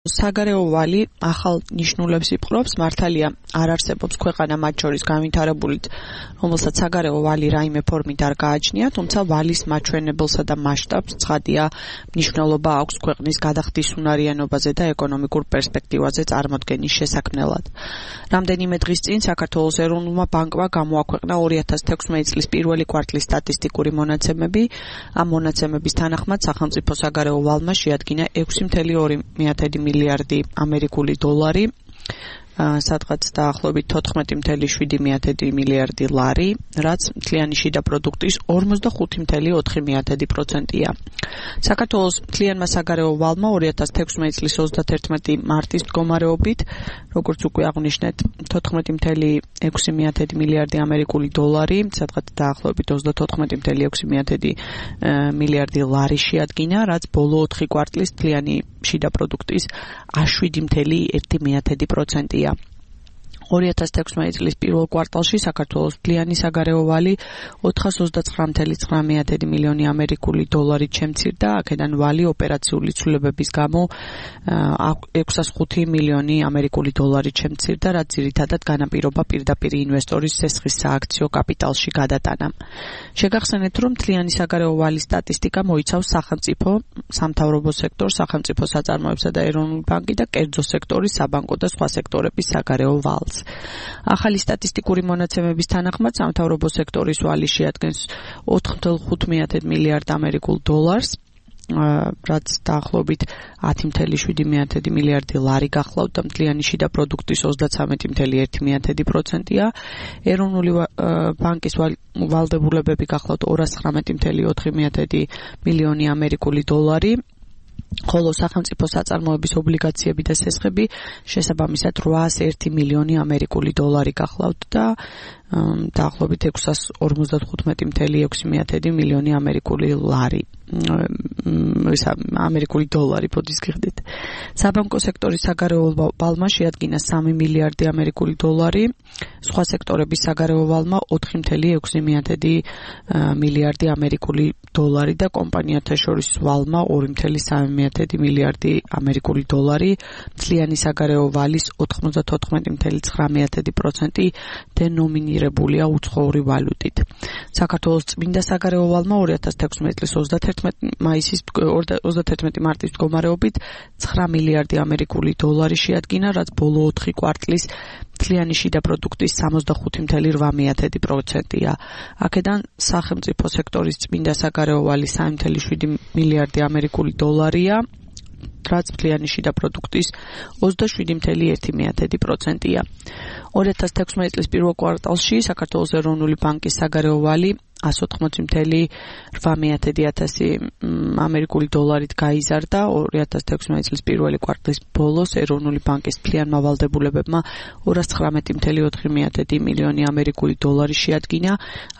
საგარეო ვალი ახალ ნიშნულებს იპყრობს, მართალია არ არსებობს ქვეყანა მათ შორის განვითარებული, რომელსაც საგარეო ვალი რაიმე ფორმით არ გააჩნია, თუმცა ვალის მაჩვენებელსა და მასშტაბს ცხადია მნიშვნელობა აქვს ქვეყნის გადახდის უნარიანობაზე და ეკონომიკურ პერსპექტივაზე წარმოდგენის შესაქმნელად. რამდენიმე დღის წინ საქართველოს ეროვნულმა ბანკმა გამოაქვეყნა 2016 წლის პირველი კვარტლის სტატისტიკური მონაცემები. ამ მონაცემების თანახმად სახელმწიფო საგარეო ვალმა შეადგინა 6.2 მილიარდი ამერიკული დოლარი, სადღაც დაახლოებით 14.7 მილიარდი ლარი, რაც მთლიანი შიდა პროდუქტის 45.4%-ია. საქართველოს მთლიანმა საგარეო ვალმა 2016 წლის 31 მარტის მდგომარეობით, როგორც უკვე აღვნიშნეთ, 14.6 მილიარდი ამერიკული დოლარი, სადღაც დაახლოებით 34.6 მილიარდი ლარი შეადგინა, რაც ბოლო 4 კვარტლის მთლიანი შიდა პროდუქტის 7.1%-ია. 2016 წლის პირველ კვარტალში საქართველოს მთლიანი საგარეო ვალი 429.9 მილიონი ამერიკული დოლარით შემცირდა, აქედან ვალი ოპერაციული ცვლილებების გამო 605 მილიონი ამერიკული დოლარით შემცირდა, რაც ძირითადად განაპირობა პირდაპირ ინვესტორის სესხის სააქციო კაპიტალში გადატანამ. შეგახსენეთ, რომ მთლიანი საგარეო ვალის სტატისტიკა მოიცავს სახელმწიფო, სამთავრობო სექტორს, სახელმწიფო საწარმოებსა და ეროვნული ბანკი და კერძო სექტორის, საბანკო და სხვა სექტორების საგარეო ვალს. ახალი სტატისტიკური მონაცემების თანახმად სამთავრობო სექტორის ვალი შეადგენს 4.5 მილიარდ ამერიკულ დოლარს, რაც დაახლოებით 10.7 მილიარდი ლარი გახლავთ და მთლიანი შიდა პროდუქტის 33.1%-ია. ეროვნული ბანკის ვალდებულებები გახლავთ 219.4 მილიონი ამერიკული დოლარი, ხოლო სახელმწიფო საწარმოების ობლიგაციები და სესხები შესაბამისად 801 მილიონი ამერიკული დოლარი გახლავთ და დაახლოებით 655.6 მილიონი ამერიკული ლარი. ამერიკული დოლარი ბოდის გიხდით. საბანკო სექტორის საგარეო ვალმა შეადგინა 3 მილიარდი ამერიკული დოლარი, სხვა სექტორების საგარეო ვალმა 4.6 მილიარდი ამერიკული დოლარი და კომპანიათა შორის ვალმა 2.3 მილიარდი ამერიკული დოლარი, მთლიანი საგარეო ვალის 94.9% დენომინირებულია უცხოური ვალუტით. საქართველოს წმინდა საგარეო ვალმა 2016 წლის 31 მარტის მდგომარეობით 9 მილიარდი ამერიკული დოლარი შეადგინა, რაც ბოლო 4 კვარტლის მთლიანი შიდა პროდუქტის 65.8%-ია. აქედან სახელმწიფო სექტორის წმინდა საგარეო ვალი 3.7 მილიარდი ამერიკული დოლარია, რაც მთლიანი შიდა პროდუქტის 27.1%-ია. 2016 წლის პირველ კვარტალში საქართველოს ეროვნული ბანკის საგარეო ვალი 180.8 ამერიკული დოლარით გაიზარდა. 2016 წლის პირველი კვარტლის ბოლოს ეროვნული ბანკის მთლიანმა ვალდებულებებმა 219.4 მილიონი ამერიკული დოლარი შეადგინა,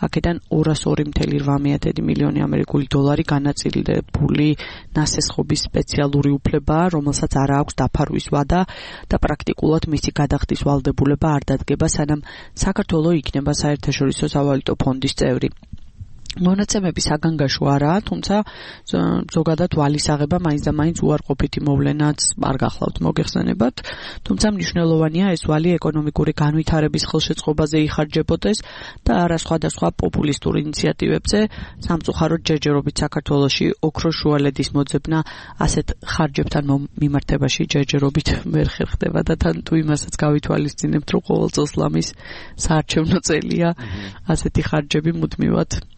აქედან 202.8 მილიონი ამერიკული დოლარი განაწილებული ნასესხობის სპეციალური უფლებაა, რომელსაც არ აქვს დაფარვის ვადა და პრაქტიკულად მისი გადახდის ვალდებულება არ დადგება, სანამ საქართველო იქნება საერთაშორისო სავალუტო ფონდის წევრი. მონაცემები საგანგაშო არაა, თუმცა ზოგადად ვალის აღება მაინც და მაინც უარყოფითი მოვლენაც არ გახლავთ მოგეხსენებათ, თუმცა მნიშვნელოვანია ეს ვალი ეკონომიკური განვითარების ხელშეწყობაზე იხარჯებოდეს და არა სხვადასხვა პოპულისტურ ინიციატივებზე. სამწუხაროდ ჯერჯერობით საქართველოში ოქროს შუალედის მოძებნა ასეთ ხარჯებთან მიმართებაში ჯერჯერობით ვერ ხერხდება და თან თუ იმასაც გავითვალისწინებთ, რომ ყოველ წელს ლამის საარჩევნო წელია, ასეთი ხარჯები მუდმივად